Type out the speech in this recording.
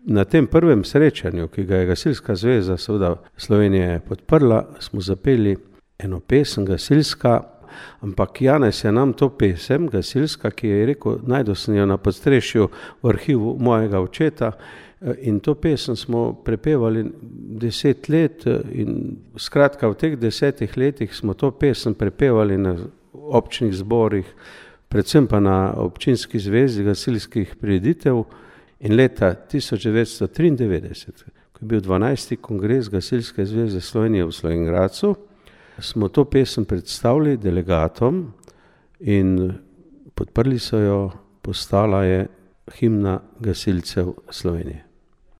na tem prvem srečanju, ki ga je Gasilska zveza seveda Slovenije podprla, smo zapeli eno pesem gasilska, ampak Janez je nam to pesem gasilska, ki je rekel, našel sem jo na podstrešju v arhivu mojega očeta, in to pesem smo prepevali 10 let in skratka v teh 10 letih smo to pesem prepevali na občnih zborih, predvsem pa na občinski zvezi gasilskih prireditev in leta 1993, ko je bil 12. kongres Gasilske zveze Slovenije v Slovenj Gradcu, smo to pesem predstavili delegatom in podprli so jo, postala je himna gasilcev Slovenije.